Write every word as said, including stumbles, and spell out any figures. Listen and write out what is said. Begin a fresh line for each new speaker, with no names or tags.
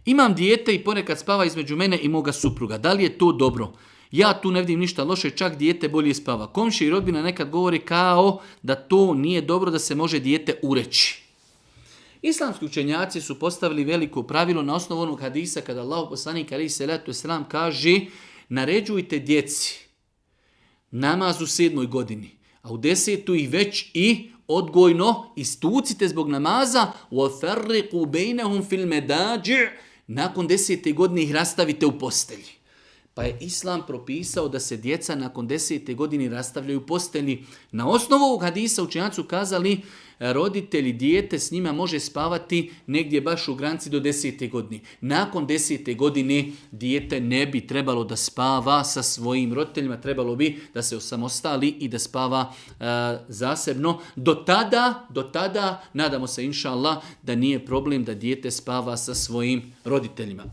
Imam dijete i ponekad spava između mene i moga supruga. Da li je to dobro? Ja tu ne vidim ništa loše, čak dijete bolje spava. Komšije i rodbina nekad govori kao da to nije dobro, da se može dijete ureći. Islamski učenjaci su postavili veliko pravilo na osnovu onog hadisa kada Allah poslanik alejhi selatu selam kaže naređujte djeci namaz u sedmoj godini, a u desetu ih već i odgojno istucite zbog namaza وَفَرِّقُوا بَيْنَهُمْ فِي الْمَدَاجِعِ nakon desete godine ih rastavite u postelji. Pa je Islam propisao da se djeca nakon desete godine rastavljaju u postelji. Na osnovu ovog hadisa učenjaci su kazali roditelji dijete s njima može spavati negdje baš u granici do desete godine. Nakon desete godine dijete ne bi trebalo da spava sa svojim roditeljima, trebalo bi da se osamostali i da spava uh, zasebno. Do tada, do tada, nadamo se inša Allah, da nije problem da dijete spava sa svojim roditeljima.